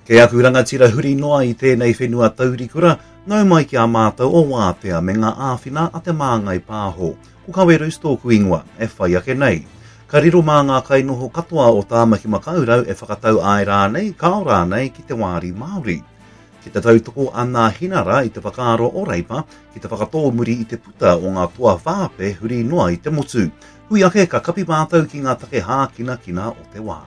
Kei aku rangatira huri noa i tēnei whenua taurikura, nau mai ki a mātou o Wātea me ngā āwhina a Te Māngai Pāho. Ko Kawerus tōku ingoa, e whai ake nei. Ka riro mā ngā kainoho katoa o Tāmaki Makaurau e whakatau āe rānei, kāo rānei ki te wāri Māori. Ki te tautoko a Nāhinara i te whakaaro o Reipa ki te whakatōmuri i te puta o ngā toa whāpe huri noa i te motu. Hui ake ka kapi mātou ki ngā take hākinakina o te wā.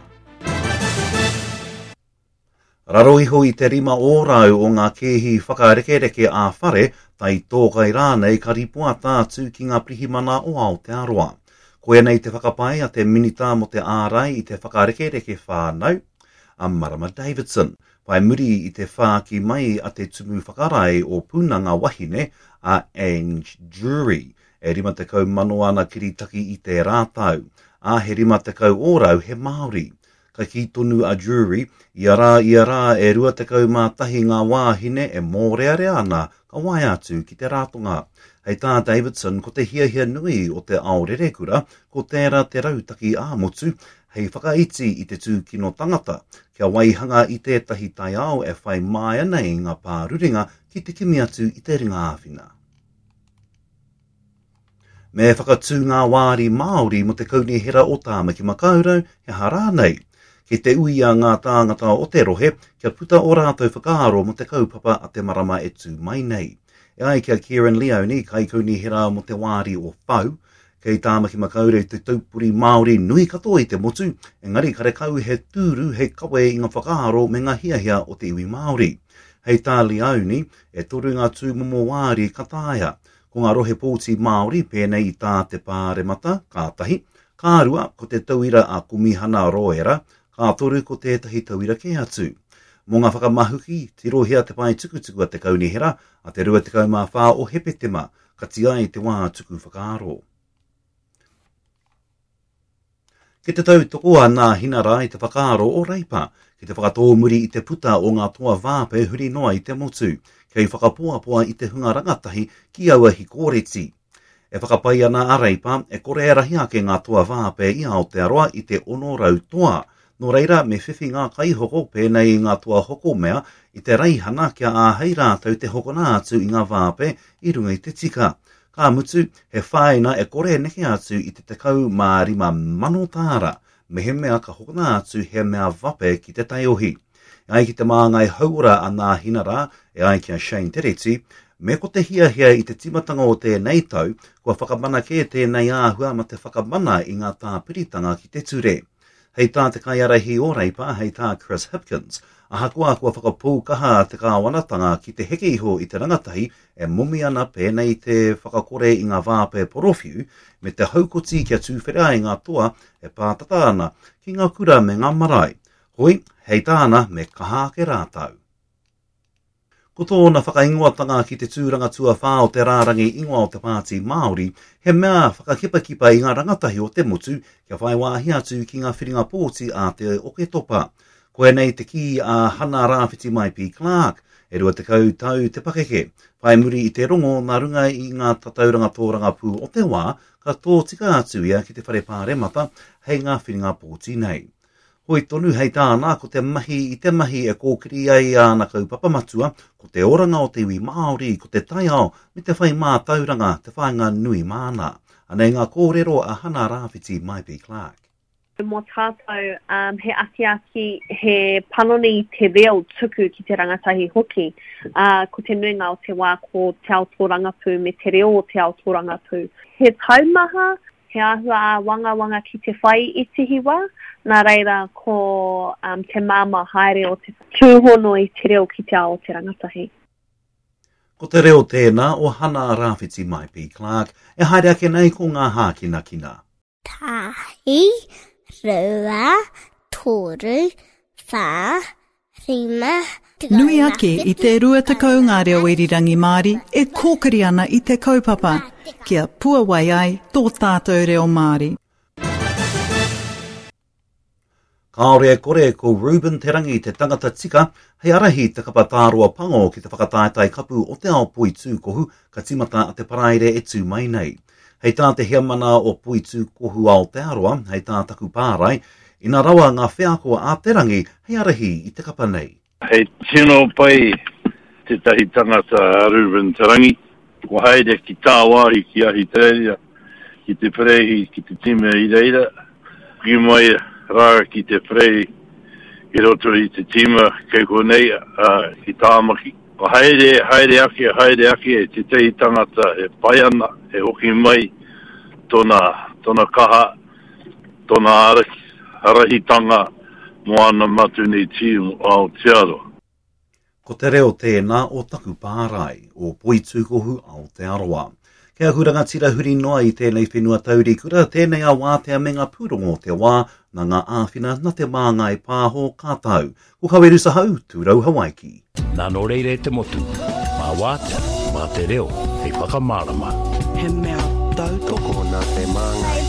Raro iho i te 5% o ngā kēhi whakarekereke ā-whare, taitōkai rānei ka ripoata atu ki ngā pirihimana o Aotearoa. Koianei te whakapae a te Minita mō te Ārai i te Whakarekereke Whānau, a Marama Davidson, whai muri i te whāki mai a te Tumu Whakarae o Punanga Wahine, a Ange Drury, E 50,000 ana kiritaki i tērā tau, ā, he 50% he Māori. Ka kī tonu a Drury, ia rā, ia rā e 21 ngā wāhine e mōrearea ana ka waea atu ki te ratonga. Hei tā Davidson, ko te hiahia nui o te ao rerekura, ko tērā te rautaki ā-motu hei whakaiti i te tūkino tangata, kia waihanga i tētahi taiao e whai māia nei ngā pārurenga ki te kimi atu i te ringa āwhina. Me whakatū ngā wāri Māori mō te Kaunihera o Tāmaki Makaurau, he aha rānei? Kei te uia ngā tāngata o te rohe kia puta ō rātou whakaaro mō te kaupapa a te marama e tū mai nei. E ai ki a Kerrin Leoni, Kaikaunihera mō te wāri o Whau, kei Tāmaki Makaurau te taupori Māori nui katoa i te motu, engari karekau he tūru hei kawe i ngā whakaaro me ngā hiahia o te iwi Māori. Hei tā Leoni, e toru ngā tūmomo wāri ka taea. Ko ngā rohe pōti Māori, pēnei i tā te Pāremata, ka tahi, ka rua, ko te tauira a Komihana Roera, ka toru ko tētahi tauira kē atu. Mō ngā whakamahuki, tirohia te pae tukutuku a te Kaunihera a te 24 o Hepetema, kati ai te wā tuku whakaaro. Ki te tautoko a Nāhinara i te whakaaro o Reipa ki te whakatōmuri i te puta o ngā toa vāpe huri noa i te motu, kei whakapoapoa i te hunga rangatahi ki aua hikōreti. E whakapai ana a Reipa e kore e rahi ake ngā toa vāpe i Aotearoa i te 600 toa, nō reira me whiwhi ngā kaihoko pēnei i ngā toa hoko mea i te raihana kia āhei rātou te hokona atu i ngā vāpe i runga i te tika. Ka mutu, he whāina e kore e neke atu i te 15,000 tāra, mehemea ka hokona atu he mea vape ki te taiohi. E ai ki te māngai hauora a Nāhinara, e ai ki a Shane Tereti, me ko te hiahia i te tīmatanga o tēnei tau, kua whakamana kē tēnei āhua ma te whakamana i ngā tāpiritanga ki te ture. Hei tā te kaiārahi o Reipa, hei tā Chris Hipkins, ahakoa kua whakapou kaha te kāwanatanga ki te heke iho i te rangatahi e momi ana pēnei i te whakakore i ngā vāpe porowhiu me te haukoti kia tūwhera ai ngā toa e pātata ana ki ngā kura me ngā marae. Hoi, hei tāna me kaha ake rātou. Ko tōna whakaingoatanga ki te tūranga tuawhā o te rārangi ingoa o te Pāti Māori, he mea whakakipakipa i ngā rangatahi o te motu kia whai wāhi atu ki ngā whiringa pōti a te Oketopa. Koinei te kī a Hana Rāwhiti Maipi Clark, e 20 tau te pakeke, whai muri i te rongo nā runga i ngā tatauranga tōrangapū o te wā, ka tōtika atu ia ki te Whare Pāremata hei ngā whiringa pōti nei. Hoi tonu hei tāna, ko te mahi i te mahi e kōkiri ai āna kaupapa matua, ko te oranga o te iwi Māori, ko te taiao, me te whai mātauranga te whāinga nui māna. Anei ngā kōrero a Hana Rāwhiti Maipi Clarke. Mō tātou, he akiaki, he panoni i te reo tuku ki te rangatahi hoki. Ā, ko te nuinga o te wā ko te ao tōrangapū me te reo o te ao tōrangapū. He taumaha He āhua āwangawanga ki te whai i tihi wā, nā reira ko um, te māmā haere o te tūhono i te reo ki te ao o te rangatahi. Ko te reo tēnā o Hana Rāwhiti Maipi Clarke e haere ake nei ko ngā hākinakina. Tahi, rua, toru, whā, Nui ake i te 20 ngā reo irirangi Māori e kōkiri ana i te kaupapa, kia puawai ai tō tātou reo Māori. Kāore e kore ko Reuben Te Rangi te tangata tika hei ārahi te kapa tāroa pango ki te whakataetae kapu o te ao poitūkohu ka tīmata a te Paraire e tū mai nei. Hei tā te heamana o Poitūkohu Aotearoa, hei tā Taku Pārai, ina rawa ngā wheako a Te Rangi hei ārahi i te kapa nei. He tino pai tētahi tangata a Reuben Te Rangi, kua haere ki tāwāhi ki Ahitereiria, ki te perehi ki te tīma i reira, hoki mai rā ki te perehi i roto i te tīma kei konei ki Tāmaki. Kua haere, haere ake, haere ake tētahi tangata e pai ana, e hoki mai tōna, tōna kaha, tōna ārahitanga mō ana matuni tīm o Aotearoa. Ko te reo tēnā o taku pārae, o Poitūkohu Aotearoa. Kei aku rangatira huri noa i tēnei whenua taurikura, tēnei a Wātea me ngā pūrongo o te wā, nā ngā āwhina, nā Te Māngai Pāho ka tau. Ko Kawerusa Hau, Tūrau Hawaiki. Nā nō reira e te motu, mā Wātea, mā te reo hei whakamārama. He mea tautoko nā Te Māngai.